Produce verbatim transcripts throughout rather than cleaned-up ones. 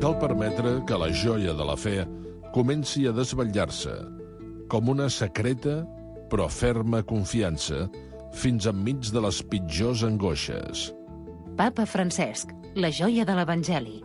cal permetre que la joia de la fe comenci a desvetllar-se, com una secreta però ferma confiança, fins enmig de les pitjors angoixes. Papa Francesc, la joia de l'Evangeli.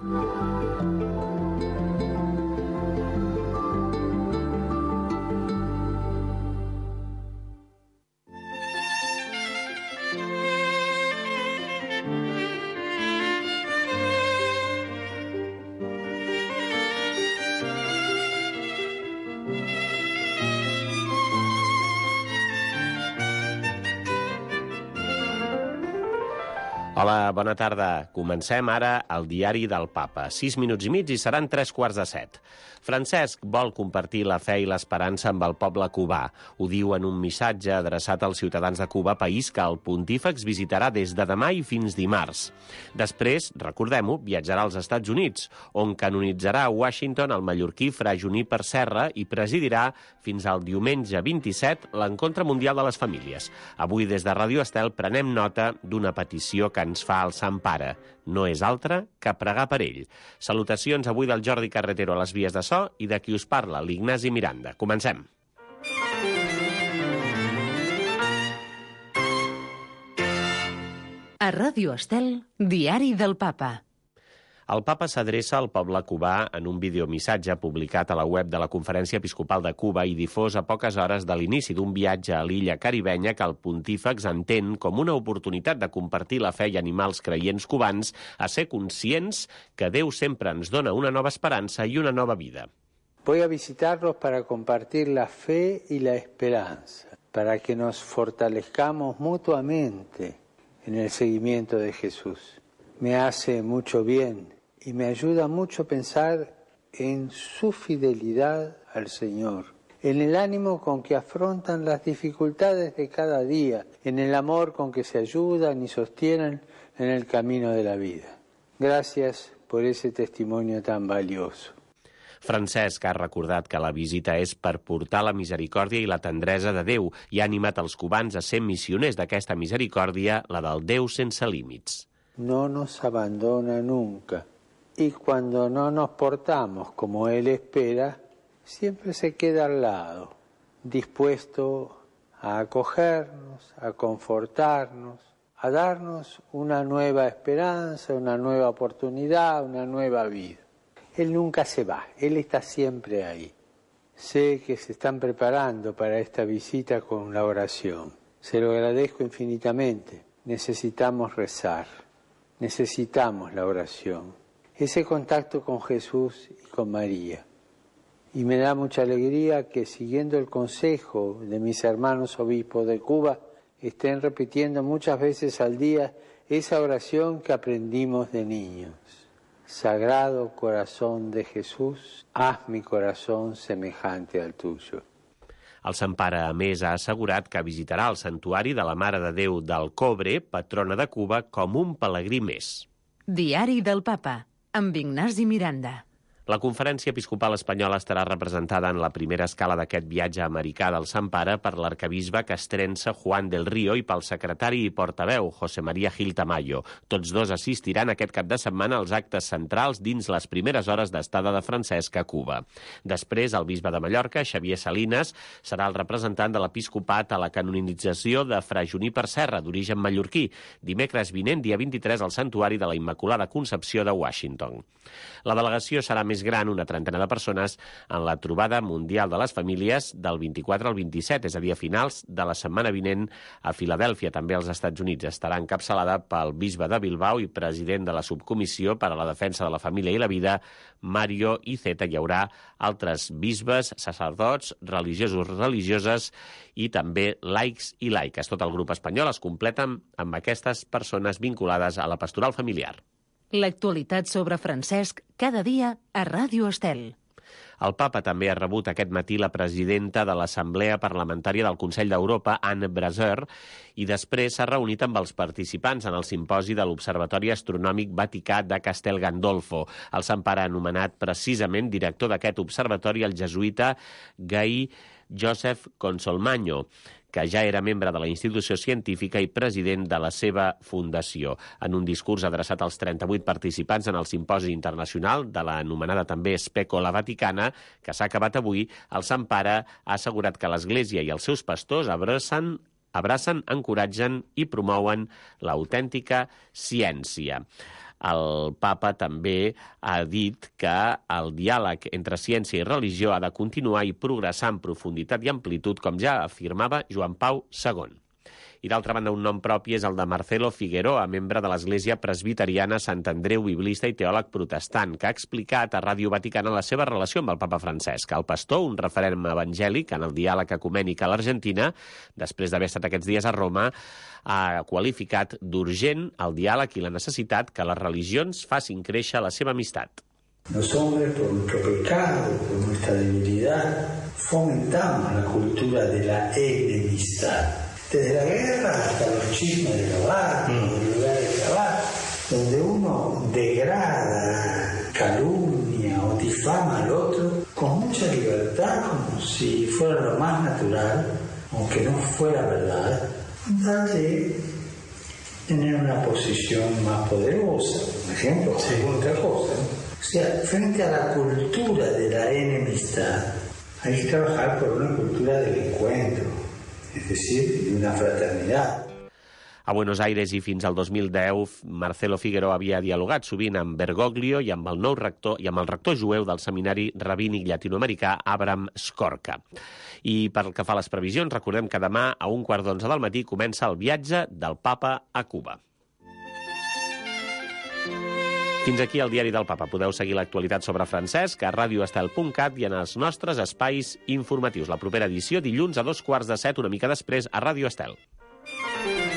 Hola, bona tarda. Comencem ara el diari del Papa. Sis minuts i mig i seran tres quarts de set. Francesc vol compartir la fe i l'esperança amb el poble cubà. Ho diu en un missatge adreçat als ciutadans de Cuba, país que el pontífex visitarà des de demà i fins dimarts. Després, recordem-ho, viatjarà als Estats Units, on canonitzarà a Washington el mallorquí Fra Juníper Serra i presidirà fins al diumenge vint-i-set l'Encontre Mundial de les Famílies. Avui, des de Ràdio Estel, prenem nota d'una petició que ens fa el Sant Pare. No és altra que pregar per ell. Salutacions avui del Jordi Carretero a les vies de so i de qui us parla, l'Ignasi Miranda. Comencem. A Ràdio Estel, diari del Papa. El Papa s'adreça al poble cubà en un videomissatge publicat a la web de la Conferència Episcopal de Cuba i difós a poques hores de l'inici d'un viatge a l'illa caribenya que el pontífex entén com una oportunitat de compartir la fe i animar els creients cubans a ser conscients que Déu sempre ens dona una nova esperança i una nova vida. Voy a visitarlos para compartir la fe y la esperanza, para que nos fortalezcamos mutuamente en el seguimiento de Jesús. Me hace mucho bien y me ayuda mucho pensar en su fidelidad al Señor, en el ánimo con que afrontan las dificultades de cada día, en el amor con que se ayudan y sostienen en el camino de la vida. Gracias por ese testimonio tan valioso. Francesc ha recordat que la visita és per portar la misericòrdia i la tendresa de Déu i ha animat els cubans a ser missioners d'aquesta misericòrdia, la del Déu sense límits. No nos abandona nunca, y cuando no nos portamos como Él espera, siempre se queda al lado, dispuesto a acogernos, a confortarnos, a darnos una nueva esperanza, una nueva oportunidad, una nueva vida. Él nunca se va, Él está siempre ahí. Sé que se están preparando para esta visita con la oración. Se lo agradezco infinitamente. Necesitamos rezar. Necesitamos la oración, ese contacto con Jesús y con María. Y me da mucha alegría que, siguiendo el consejo de mis hermanos obispos de Cuba, estén repitiendo muchas veces al día esa oración que aprendimos de niños. Sagrado corazón de Jesús, haz mi corazón semejante al tuyo. El Sant Pare, a més, ha assegurat que visitarà el santuari de la Mare de Déu del Cobre, patrona de Cuba, com un pelegrí més. Diari del Papa, amb Ignasi Miranda. La Conferència Episcopal Espanyola estarà representada en la primera escala d'aquest viatge americà del Sant Pare per l'arquebisbe castrense Juan del Río i pel secretari i portaveu José María Gil Tamayo. Tots dos assistiran aquest cap de setmana als actes centrals dins les primeres hores d'estada de Francesc a Cuba. Després, el bisbe de Mallorca, Xavier Salinas, serà el representant de l'episcopat a la canonització de Fra Juníper Serra, d'origen mallorquí, dimecres vinent, dia vint-i-tres, al Santuari de la Immaculada Concepció de Washington. La delegació serà més gran, una trentena de persones, en la trobada mundial de les famílies del vint-i-quatre al vint-i-set, és a dir, a finals de la setmana vinent a Filadèlfia, també als Estats Units. Estarà encapçalada pel bisbe de Bilbao i president de la subcomissió per a la defensa de la família i la vida, Mario Iceta. Hi haurà altres bisbes, sacerdots, religiosos, religioses i també laics i laiques. Tot el grup espanyol es completa amb aquestes persones vinculades a la pastoral familiar. L'actualitat sobre Francesc cada dia a Ràdio Estel. El Papa també ha rebut aquest matí la presidenta de l'Assemblea Parlamentària del Consell d'Europa, Anne Braser, i després s'ha reunit amb els participants en el simposi de l'Observatori Astronòmic Vaticà de Castel Gandolfo. El Sant Pare ha anomenat precisament director d'aquest observatori el jesuïta Gai Joseph Consolmagno, que ja era membre de la institució científica i president de la seva fundació. En un discurs adreçat als trenta-vuit participants en el simposi internacional de l'anomenada també Specola Vaticana, que s'ha acabat avui, el Sant Pare ha assegurat que l'Església i els seus pastors abracen abracen, encoratgen i promouen l'autèntica ciència. El papa també ha dit que el diàleg entre ciència i religió ha de continuar i progressar en profunditat i amplitud, com ja afirmava Joan Pau segon. I d'altra banda, un nom propi és el de Marcelo Figueroa, membre de l'Església Presbiteriana Sant Andreu, biblista i teòleg protestant, que ha explicat a Ràdio Vaticana la seva relació amb el papa Francesc. El pastor, un referent evangèlic en el diàleg ecumènic a l'Argentina, després d'haver estat aquests dies a Roma, ha qualificat d'urgent el diàleg i la necessitat que les religions facin créixer la seva amistat. Los hombres, por nuestro pecado, por nuestra debilidad, fomentamos la cultura de la enemistad. Desde la guerra hasta los chismes de los barrios, del lugar de trabajo, donde uno degrada, calumnia o difama al otro con mucha libertad, como si fuera lo más natural, aunque no fuera verdad, darle tener una posición más poderosa, por ejemplo, sí. O otra cosa. O sea, frente a la cultura de la enemistad, hay que trabajar por una cultura del encuentro, es decir, de una fraternidad. A Buenos Aires i fins al dos mil deu, Marcelo Figueroa havia dialogat sovint amb Bergoglio i amb el nou rector i amb el rector jueu del seminari rabínic llatinoamericà Abraham Skorka. I pel que fa a les previsions, recordem que demà a un quart d'onze del matí comença el viatge del papa a Cuba. Fins aquí el diari del papa. Podeu seguir l'actualitat sobre Francesc a radioestel punt cat i en els nostres espais informatius. La propera edició dilluns a dos quarts de set, una mica després, a Ràdio Estel.